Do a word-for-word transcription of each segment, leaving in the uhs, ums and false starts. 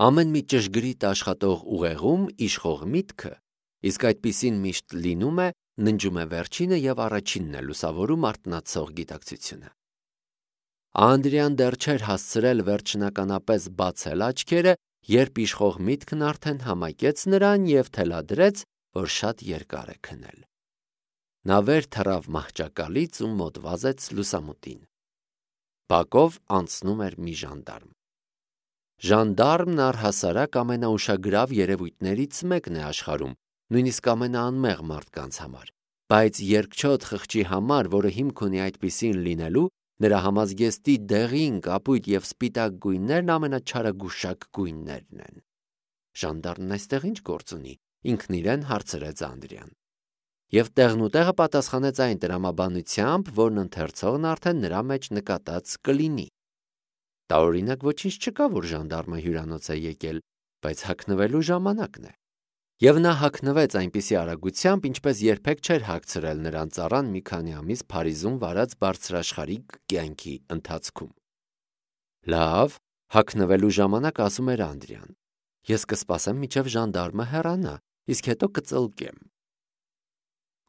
Ամեն մի ճշգրիտ աշխատող ուղեղում իշխող միտքը, իսկ այդպիսին միշտ լինում է, ննջում է վերջինը և առաջինն է լուսավորում արթնացող գիտակցությունը։ Անդրեան դեռ չէր հասցրել վերջնականապես բացել աչքերը, երբ իշխող միտքն արդեն համակեց նրան և թելադրեց, որ շատ երկար է քնել։ Նա վեր թռավ մահճակալից ու մոտ վազեց լուսամուտին։ Բակով անցնում էր մի ժանդարմ։ Ժանդարմն առհասարակ ամենաուշագրավ երևույթներից մեկն է աշխարհում, նույնիսկ ամենաանմեղ մարդկանց համար, բայց երկչոտ խղճի համար, որը հիմք ունի այդպիսին լինելու, նրա համազգեստի դեղին, կապույտ և սպիտակ գույներն ամենաչարագուշակ գույներն են։ Ժանդարմն այստեղ ինչ գործ ունի, ինքն իրեն հարցրեց Անդրեան։ Եվ տեղնուտեղը պատասխանեց այն տրամաբանությամբ, որն ընթերցողն արդեն նրա մեջ նկատած կլինի։ Տարօրինակ ոչինչ չկա, որ ժանդարմը հյուրանոց է եկել, բայց հագնվելու ժամանակն է։ Եվ նա հագնվեց այնպիսի արագությամբ, ինչպես երբեք չէր հագցրել նրան ծառան մի քանի ամիս Փարիզում վարած բարձրաշխարհիկ կյանքի ընթացքում։ Լավ, հագնվելու ժամանակ, ասում էր Անդրեան։ Ես կսպասեմ, մինչև ժանդարմը հեռանա, իսկ հետո կծլկեմ։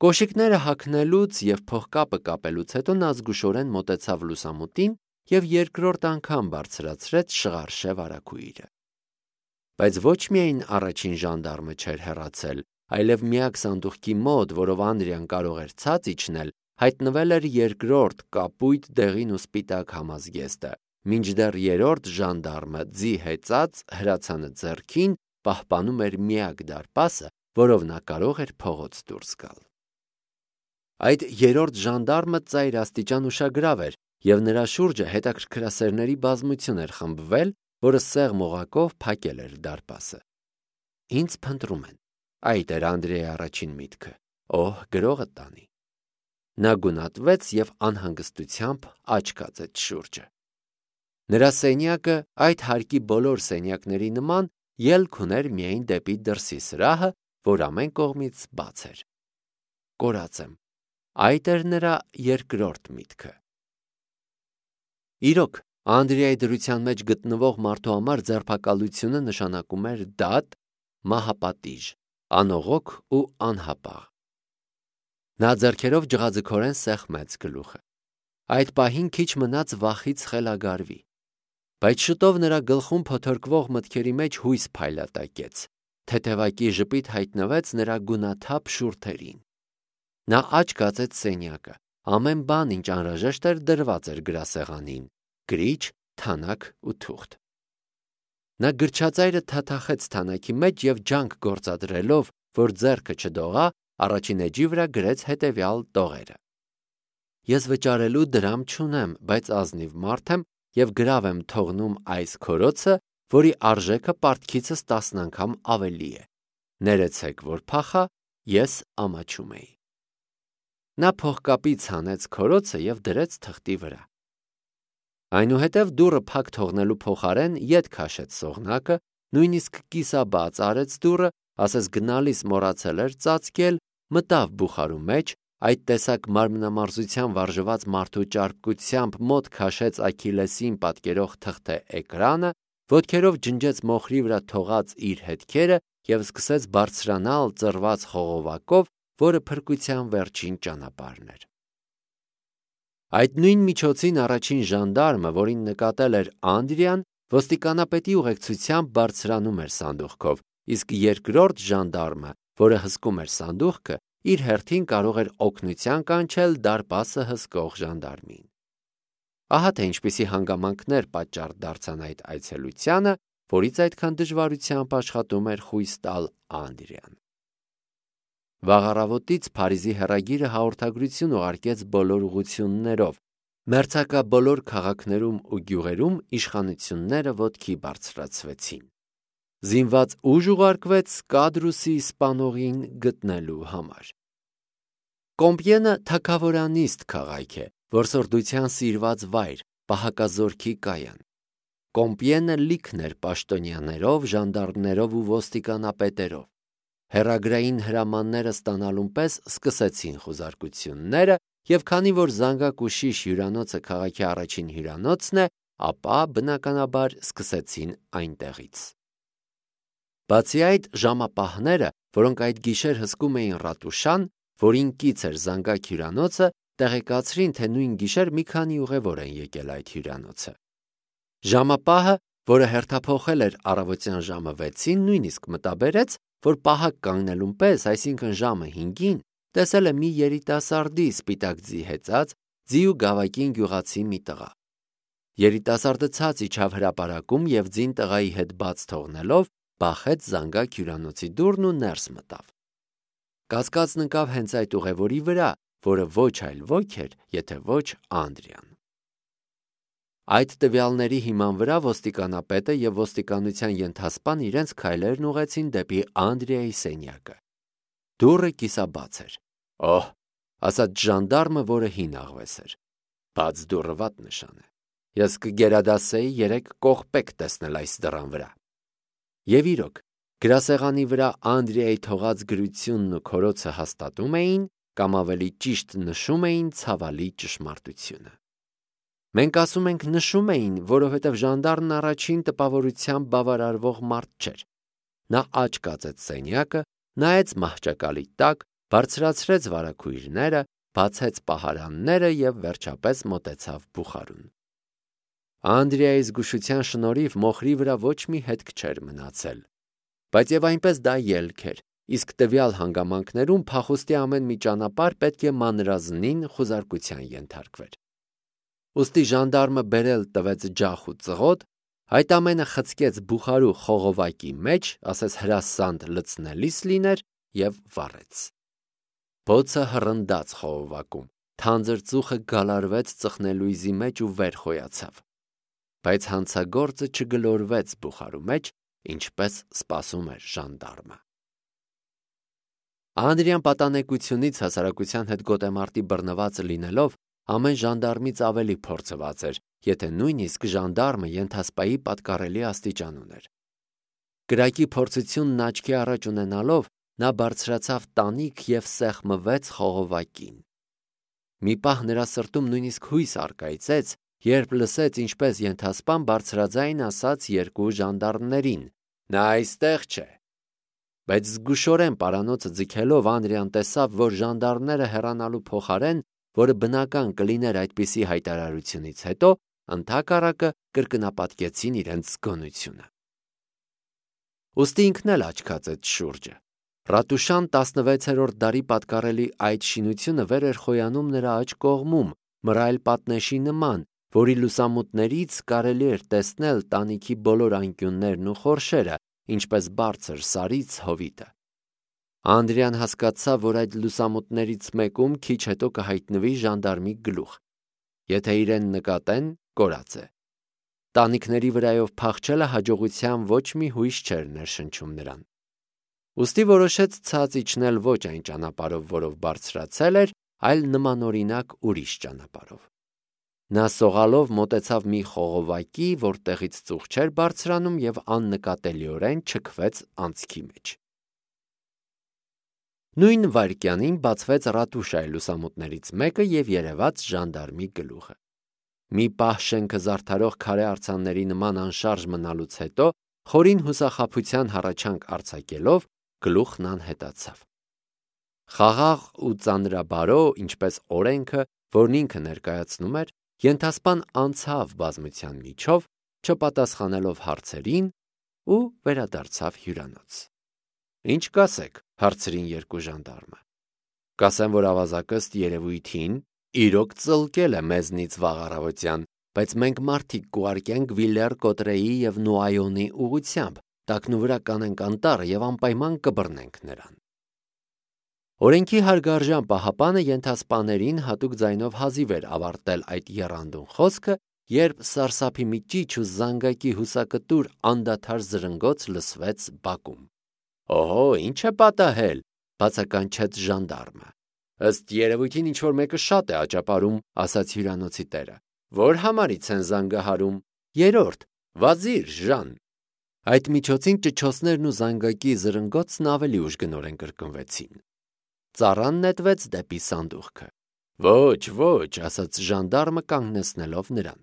Կոշիկները հագնելուց և փողկապը կապելուց հետո նա զգուշորեն մոտեցավ լուսամուտին և երկրորդ անգամ բարձրացրեց շղարշև արագույրը։ Բայց ոչ միայն առաջին ժանդարմը չէր հեռացել, այլև միակ սանդուղքի մոտ, որով Անդրեան կարող էր ցած իջնել, հայտնվել էր երկրորդ կապույտ դեղին ու սպիտակ համազգեստը, մինչդեռ երրորդ ժանդարմը ձի հեծած հրացանը ձեռքին պահպանում էր միակ դարպասը, որով նա կարող էր փողոց դուրս գալ։ Այդ երրորդ ժանդարմը ծայր աստիճան ուշագրավ էր, և նրա շուրջը հետաքրքրասերների բազմություն էր խմբվել, որը սեղմ օղակով փակել էր դարպասը։ Ինձ փնտրում են։ Այդ էր Անդրեայի առաջին միտքը։ Օհ, գրողը տանի։ Նա գունատվեց և անհանգստությամբ աչք կացեց շուրջը։ Նրա սենյակը այդ հարկի բոլոր սենյակների նման ելք ուներ միայն դեպի դրսի սրահը, որ ամեն կողմից բաց էր։ Կորած եմ։ Այդ էր նրա երկրորդ միտքը։ Իրոք, Անդրեայի դրության մեջ գտնվող մարդու համար ձերբակալությունը նշանակում էր դատ, մահապատիժ, անողոք ու անհապաղ։ Նա ձեռքերով ջղաձգորեն սեղմեց գլուխը։ Այդ պահին քիչ մնաց վախից խելագարվի։ Բայց շուտով նրա գլխում փոթորկվող մտքերի մեջ հույս փայլատակեց, թեթևակի ժպիտ հայտնվեց նրա գունաթափ շուրթերին։ Նա աչք կացեց սենյակը, ամեն բան, ինչ անհրաժեշտ էր, դրված էր գրասեղանին՝ գրիչ, թանաք ու թուղթ։ Նա գրչածայրը թաթախեց թանաքի մեջ և ջանք գործադրելով, որ ձեռքը չդողա, առաջին էջի վրա գրեց հետևյալ տողերը. Ես վճարելու դրամ չունեմ, բայց ազնիվ մարդ եմ և գրավ եմ թողնում այս քորոցը, որի արժեքը պարտքիցս տասն անգամ ավելի է։ Ներեցեք, որ փախա, ես ամաչում էի։ Նա փողկապից հանեց քորոցը և դրեց թղթի վրա։ Այնուհետև դուռը փակ թողնելու փոխարեն ետ քաշեց սողնակը, նույնիսկ կիսաբաց արեց դուռը, ասես գնալիս մոռացել էր ծածկել, մտավ բուխարու մեջ, այդ տեսակ մարմնամարզության վարժված մարդու ճարպկությամբ մոտ քաշեց Աքիլեսին պատկերող թղթե էկրանը, ոտքերով ջնջեց մոխրի վրա թողած իր հետքերը և սկսեց բարձրանալ ծռված խողովակով, որը փրկության վերջին ճանապարհն էր։ Այդ նույն միջոցին առաջին ժանդարմը, որին նկատել էր Անդրեան, ոստիկանապետի ուղեկցությամբ բարձրանում էր սանդուղքով, իսկ երկրորդ ժանդարմը, որը հսկում էր սանդուղքը, իր հերթին կարող էր օգնության կանչել դարպասը հսկող ժանդարմին։ Ահա թե ինչպիսի հանգամանքներ պատճառ դարձան այդ այցելությանը, որից այդքան դժվարությամբ աշխատում էր խույս տալ Անդրեան։ Վաղ առավոտից Փարիզի հեռագիրը հաղորդագրություն ուղարկեց բոլոր ուղղություններով։ Մերձակա բոլոր քաղաքներում ու գյուղերում իշխանությունները ոտքի բարձրացվեցին։ Զինված ուժ ուղարկվեց Կադրուսի սպանողին գտնելու համար։ Կոմպիենը թագավորանիստ քաղաք է, որսորդության սիրված վայր, պահակազորքի կայան։ Կոմպիենը լիքն էր պաշտոնյաներով, ժանդարմներով ու ոստիկանապետերով։ Հեռագրային հրամանները ստանալուն պես սկսեցին խուզարկությունները, և քանի որ զանգակուշիշ հյուրանոցը քաղաքի առաջին հյուրանոցն է, ապա բնականաբար սկսեցին այնտեղից։ Բացի այդ, ժամապահները, որոնք այդ գիշեր հսկում էին Ռատուշան, որին կից էր զանգակ հյուրանոցը, տեղեկացրին, թե նույն գիշեր մի քանի ուղևոր են եկել այդ հյուրանոցը։ Ժամապահը, որը հերթափոխել էր առավոտյան ժամը վեցին, նույնիսկ մտաբերեց, որ պահակ կանգնելուն պես, այսինքն ժամը հինգին, տեսել է մի երիտասարդի սպիտակ ձի հեծած, ձի ու գավակին գյուղացի մի տղա։ Երիտասարդը ցած իջավ հրապարակում և ձին տղայի հետ բաց թողնելով, բախեց զանգակ հյուրանոցի դուռն ու ներս մտավ։ Կասկածն ընկավ հենց այդ ուղևորի վրա, որը ոչ այլ ոք էր, եթե ոչ Անդրիան։ Այդ տվյալների հիման վրա ոստիկանապետը և ոստիկանության ենթասպան իրենց քայլերն ուղղեցին դեպի Անդրիայի սենյակը։ Դուռը կիսաբաց էր։ Օհ, ասաց ժանդարմը, որը հին աղվես էր։ Բաց դուռը վատ նշան է։ Ես կգերադասեի երեք կողպեք տեսնել այս դռան վրա։ Եվ իրոք, գրասեղանի վրա Անդրիայի թողած գրությունն ու քորոցը հաստատում էին, կամ ավելի ճիշտ նշում էին ցավալի ճշմարտությունը։ Մենք ասում ենք նշում էին, որովհետև ժանդարմն առաջին տպավորությամբ բավարարվող մարդ չէր։ Նա աջ կացեց սենյակը, նայեց մահճակալի տակ, բարձրացրեց վարագույրները, բացեց պահարանները և վերջապես մոտեցավ բուխարուն։ Անդրիայի զգուշության շնորհիվ մոխրի վրա ոչ մի հետք չէր մնացել, բայց եւ այնպես դա ելք էր, իսկ տվյալ հանգամանքներում փախուստի ամեն մի ճանապարհ պետք է մանրազնին խուզարկության ենթարկվեր։ Ուստի ժանդարմը բերել տվեց ջախ ու ծղոտ, այդ ամենը խցկեց բուխարու խողովակի մեջ, ասես հրասանդ լցնելիս լիներ և վառեց։ Բոցը հռնդաց խողովակում, թանձր ծուխը գալարվեց ծխնելույզի մեջ ու վեր խոյացավ, բայց հանցագործը չգլորվեց բուխարու մեջ, ինչպես սպասում էր ժանդարմը։ Անդրիան պատանեկությունից հասարակության հետ գոտեմարտի բռնված լինելով, ամեն ժանդարմից ավելի փորձված էր, եթե նույնիսկ ժանդարմը ենթասպայի պատկառելի աստիճան ուներ։ Կրակի փորձությունն աչքի առաջ ունենալով, նա բարձրացավ տանիք և սեղմվեց խողովակին։ Մի պահ նրա սրտում նույնիսկ հույս առկայծեց, երբ լսեց, ինչպես ենթասպան բարձրաձայն ասաց երկու ժանդարմներին. «Նա այստեղ չէ»։ Բայց զգուշորեն պարանոցը ձգելով Անդրիան տեսավ, որ ժանդարմները հեռանալու փոխարեն, որը բնական կլիներ այդպիսի հայտարարությունից հետո, ընդհակառակը կրկնապատկեցին իրենց զգոնությունը։ Ուստի ինքն էլ աչքացեց շուրջը։ Ռատուշան տասնվեցերորդ դարի պատկառելի այդ շինությունը վեր էր խոյանում նրա աջ կողմում, մռայլ պատնեշի նման, որի լուսամուտներից կարելի էր տեսնել տանիքի բոլոր անկյուններն ու խորշերը, ինչպես բարձր սարից հովիտը։ Անդրիան հասկացավ, որ այդ լուսամուտներից մեկում քիչ հետո կհայտնվի ժանդարմի գլուխ։ Եթե իրեն նկատեն, կորած է։ Տանիքների վրայով փախչելը հաջողության ոչ մի հույս չէր ներշնչում նրան։ Ուստի որոշեց ցած իջնել ոչ այն ճանապարհով, որով բարձրացել էր, այլ նմանօրինակ ուրիշ ճանապարհով։ Նա սողալով մոտեցավ մի խողովակի, որտեղից ծուխ չէր բարձրանում և աննկատելիորեն չքվեց անցքի մեջ։ Նույն վայրկյանին բացվեց Ռատուշայի լուսամուտներից մեկը և երևաց ժանդարմի գլուխը։ Մի պահ շենքը զարդարող քարե արձանների նման անշարժ մնալուց հետո, խորին հուսախաբության հառաչանք արձակելով, գլուխն անհետացավ։ Խաղաղ ու ծանրաբարո, ինչպես օրենքը, որն ինքը ներկայացնում էր, ենթասպան անցավ բազմության միջով, չպատասխանելով հարցերին ու վերադարձավ հյուրանոց։ «Ինչ կասեք», հարցրին երկու ժանդարմը։ «Կասեմ, որ ավազակը ըստ երևույթին իրոք ծլկել է մեզնից վաղ առավոտյան, բայց մենք մարդիկ կուղարկենք Վիլյար Կոտրեի և Նուայոնի ուղղությամբ, տակնուվրա կանենք անտառը և անպայման կբռնենք նրան»։ Օրենքի հարգարժան պահապանը ենթասպաներին հատուկ ձայնով հազիվ էր ավարտել այդ եռանդուն խոսքը, երբ սարսափի մի ճիչ ու զանգակի հուսակտուր անդադար զրնգոց լսվեց բակում։ «Օհո, ինչ է պատահել», բացականչեց ժանդարմը։ «Ըստ երևույթին ինչ-որ մեկը շատ է աճապարում», ասաց հյուրանոցի տերը։ «Ո՞ր համարից են զանգահարում»։ «Երրորդ, վազիր, Ժան»։ Այդ միջոցին ճչոցներն ու զանգակի զրնգոցն ավելի ուժգնորեն կրկնվեցին։ Ծառան նետվեց դեպի սանդուղքը։ «Ոչ, ոչ», ասաց ժանդարմը կանգնեցնելով նրան։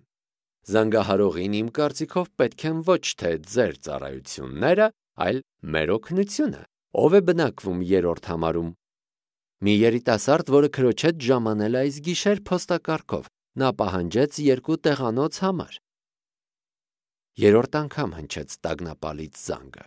«Զանգահարողին իմ կարծիքով պետք են ոչ թե ձեր ծառայությունները, այլ մեր օգնությունը։ Ով է բնակվում երրորդ համարում։ Մի երիտասարդ, որը քրոջ հետ ժամանել է այս գիշեր փոստակարգով, նա պահանջեց երկու տեղանոց համար։ Երրորդ անգամ հնչեց տագնապալից զանգը։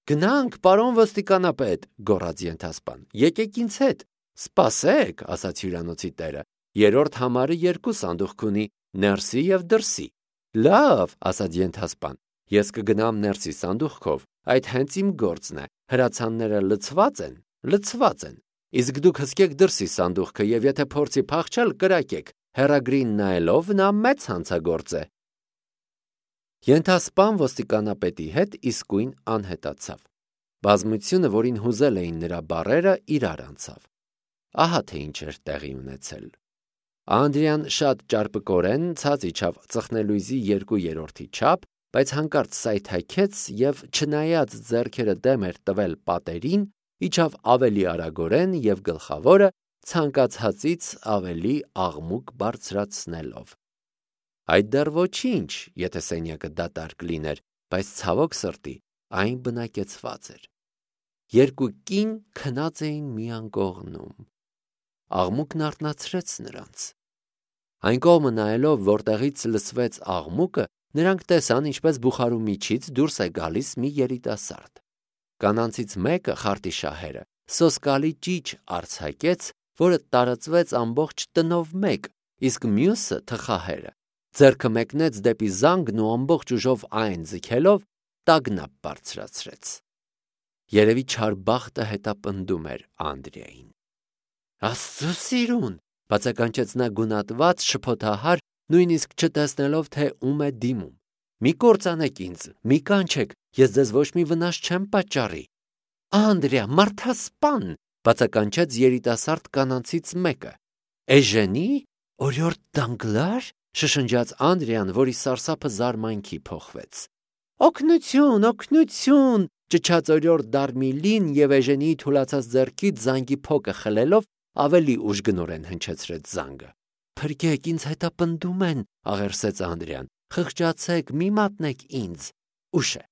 Գնանք, պարոն ոստիկանապետ, գոռաց ենթասպան, եկեք ինձ հետ։ Սպասեք, ասաց հյուրանոցի տերը, երրորդ համարը երկու սանդուղք ունի, ներսի և դրսի։ Լավ, ասաց ենթասպան, ես կգնամ ներսի սանդուղքով, այդ հենց իմ գործն է, հրացանները լցված են, լցված են, իսկ դուք հսկեք դրսի սանդուղքը և եթե փորձի փախչել, կրակեք, հեռագրին նայելով նա մեծ հանցագործ է։ Ենթասպան ոստիկանապետի հետ իսկույն անհետացավ։ Բազմությունը, որին հուզել էին նրա բառերը, իրար անցավ։ Ահա թե ինչ էր տեղի ունեցել։ Անդրեան շատ ճարպկորեն ցած իջավ ծխնելույզի երկու երրորդի չափ, բայց հանկարծ սայթաքեց և չնայած ձեռքերը դեմ էր տվել պատերին, իջավ ավելի արագորեն և գլխավորը ցանկացածից ավելի աղմուկ բարձրացնելով։ Այդ դեռ ոչինչ, եթե սենյակը դատարկ լիներ, բայց ցավոք սրտի այն բնակեցված էր։ Երկու կին քնած էին մի անկողնում։ Աղմուկն արթնացրեց նրանց։ Այն կողմը նայելով, որտեղից լսվեց աղմուկը, նրանք տեսան, ինչպես բուխարու միջից դուրս է գալիս մի երիտասարդ։ Կանանցից մեկը, խարտիշահերը, սոսկալի ճիչ արձակեց, որը տարածվեց ամբողջ տնով մեկ, իսկ մյուսը, թխահերը, ձեռքը մեկնեց դեպի զանգն ու ամբողջ ուժով այն ձգելով տագնապ բարձրացրեց։ Երևի չար բախտը հետապնդում էր Անդրեային։ Աստծո սիրուն, բացականչեց նա գունատված, շփոթահար, նույնիսկ չտեսնելով, թե ում է դիմում։ Մի կործանեք ինձ, մի կանչեք, ես ձեզ ոչ մի վնաս չեմ պատճառի։ Անդրեա, մարդասպան, բացականչեց երիտասարդ կանանցից մեկը։ Էժենի, օրիորդ Դանգլար, շշնջաց Անդրեան, որի սարսափը զարմանքի փոխվեց։ Օգնություն, օգնություն, ճչաց օրիորդ Դարմիլին և Էժենիի թուլացած ձեռքից զանգի փոկը խլելով ավելի ուժգնորեն հնչեցրեց զանգը։ Փրկեք, ինձ հետապնդում են, աղերսեց Անդրեան։ Խղճացեք, մի մատնեք ինձ։ Ուշ է։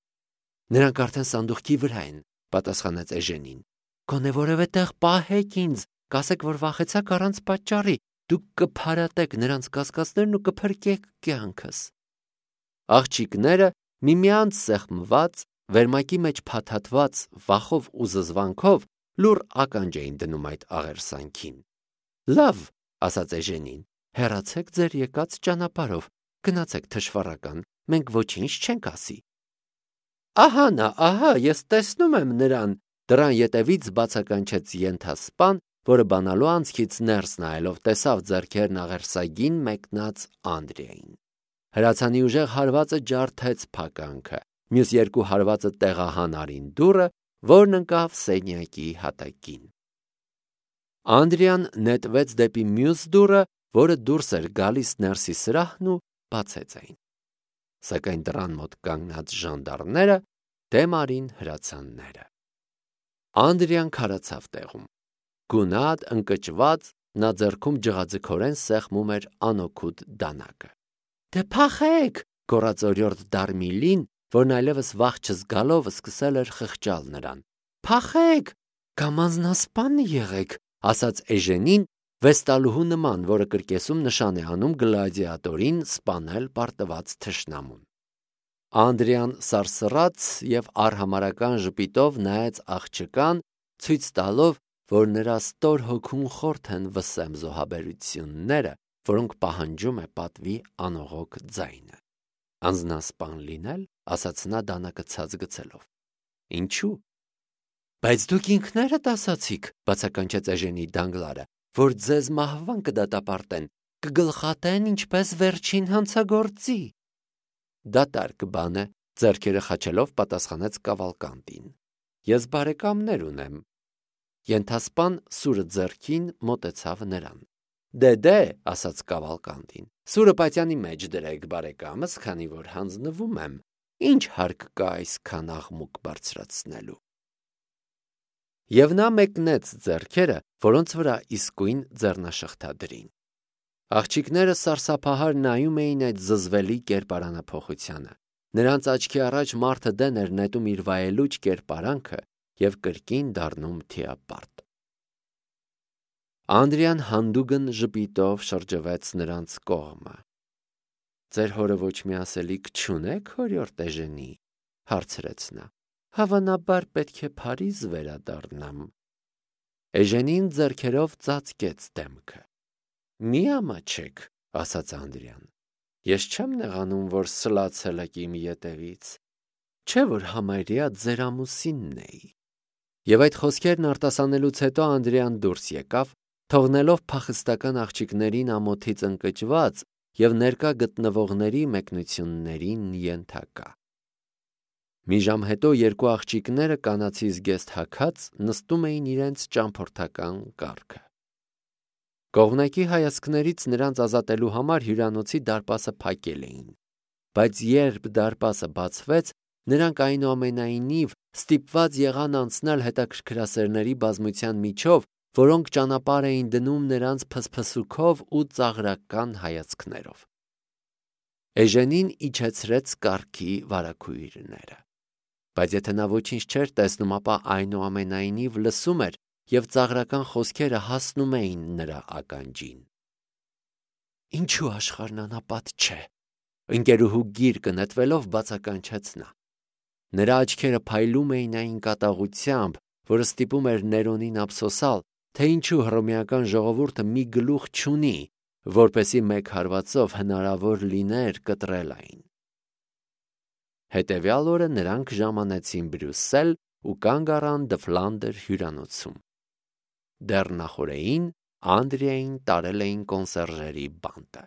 Նրանք արդեն սանդուղքի վրա են, պատասխանեց Էժենին։ Գոնե որևէ տեղ պահեք ինձ, կասեք, որ վախեցաք առանց պատճառի, դուք կփարատեք նրանց կասկածներն ու կփրկեք կյանքս։ Աղջիկները միմյանց սեղմված, վերմակի մեջ փաթաթված վախով ու զզվանքով լուռ ականջ էին դնում այդ աղերսանքին։ Լավ, ասաց Էժենին, հեռացեք ձեր եկած ճանապարհով, գնացեք թշվառական, մենք ոչինչ չենք ասի։ Ահա նա, ահա, ես տեսնում եմ նրան, դռան ետևից բացականչեց ենթասպան, որը բանալու անցքից ներս նայելով տեսավ ձեռքերն աղերսագին մեկնած Անդրեային։ Հրացանի ուժեղ հարվածը ջարդեց փականքը, մյուս երկու հարվածը տեղահանարին դուռը, որն ընկավ սենյակի հատակին։ Անդրեան նետվեց դեպի մյուս դուռը, որը դուրս էր գալիս ներսի սրահն ու բացեց այն։ Սակայն դռան մոտ կանգնած ժանդարմները դեմ արին հրացանները։ Անդրեան քարացավ տեղում։ Գունատ, ընկճված, նա ձեռքում ջղաձգորեն սեղմում էր անօգուտ դանակը։ Դե փախեք, գոռաց օրիորդ Դարմիլին, որն այլևս վախ չզգալով սկսել էր խղճալ նրան։ Փախեք, կամ անձնասպան եղեք, ասաց Էժենին, վեստալուհու նման, որը կրկեսում նշան է անում գլադիատորին սպանել պարտված թշնամուն։ Անդրեան սարսռաց և արհամարհական ժպիտով նայեց աղջկան, ցույց տալով, որ նրա ստոր հոգուն խորթ են վսեմ զոհաբերությունները, որոնք պահանջում է պատվի անողոք ձայնը։ Անձնասպան լինել, ասաց նա դանակը ցած գցելով։ Ինչու՞։ Բայց դուք ինքներդ ասացիք, բացականչեց Էժենի Դանգլարը, որ ձեզ մահվան կդատապարտեն, կգլխատեն ինչպես վերջին հանցագործի։ Դատարկ բան է, ձեռքերը խաչելով պատասխանեց Կավալկանդին։ Ես բարեկամներ ունեմ։ Ենթասպան սուրը ձեռքին մոտեցավ նրան։ Դե դե, ասաց Կավալկանդին, սուրը պատյանի մեջ դրեք բարեկամս, քանի որ հանձնվում եմ, ինչ հարկ կա այսքան աղմուկ բարձրացնելու։ Եվ նա մեկնեց ձեռքերը, որոնց վրա իսկույն ձեռնաշղթա դրին։ Աղջիկները սարսափահար նայում էին այդ զզվելի կերպարանափոխությանը։ Նրանց աչքի առաջ մարդը դեն էր նետում իր վայելուչ կերպարանքը և կրկին դառնում թիապարտ։ Անդրեան հանդուգն ժպիտով շրջվեց նրանց կողմը։ «Ձեր հորը ոչ մի ասելիք չունե՞ք, հորիորդ Էժենի», հարցրեց նա։ «Հավանաբար պետք է Փարիզ վերադառնամ»։ Էժենին ձեռքերով ծածկեց դեմքը։ «Մի ամաչեք», ասաց Անդրեան։ «Ես չեմ նեղանում, որ սլացել եք իմ ետևից, չէ՞ որ համարյա ձեր ամուսինն էի»։ Եվ այդ խոսքերն արտասանելուց հետո Անդրեան դուրս եկավ, թողնելով փախստական աղջիկներին ամոթից ընկճված և ներկա գտնվողների մեկնություններին ենթակա։ Մի ժամ հետո երկու աղջիկները կանացի զգեստ հագած նստում էին իրենց ճամփորդական կառքը։ Կողմնակի հայացքներից նրանց ազատելու համար հյուրանոցի դարպասը փակել էին, բայց երբ դարպասը բացվեց, նրանք այնուամենայնիվ ստիպված եղան անցնել հետաքրքրասերների բազմության միջով, որոնք ճանապարհ էին դնում նրանց փսփսուքով ու ծաղրական հայացքներով։ Էժենին իջեցրեց կառքի վարագույրները, բայց եթե նա ոչինչ չէր տեսնում, ապա այնուամենայնիվ լսում էր և ծաղրական խոսքերը հասնում էին նրա ականջին։ «Ինչու աշխարհն անապատ չէ», ընկերուհու գիրկը նետվելով բացականչեց նա։ Նրա աչքերը փայլում էին այն կատաղությամբ, որը ստիպում էր Ներոնին ափսոսալ, թե ինչու հռոմեական ժողովուրդը մի գլուխ չունի, որպեսզի մեկ հարվածով հնարավոր լիներ կտրել այն։ Հետևյալ օրը նրանք ժամանեցին Բրյուսել ու կանգ առան Դֆլանդեր հյուրանոցում։ Դեռ նախօրեին Անդրեային տարել էին կոնսերժերի բանտը։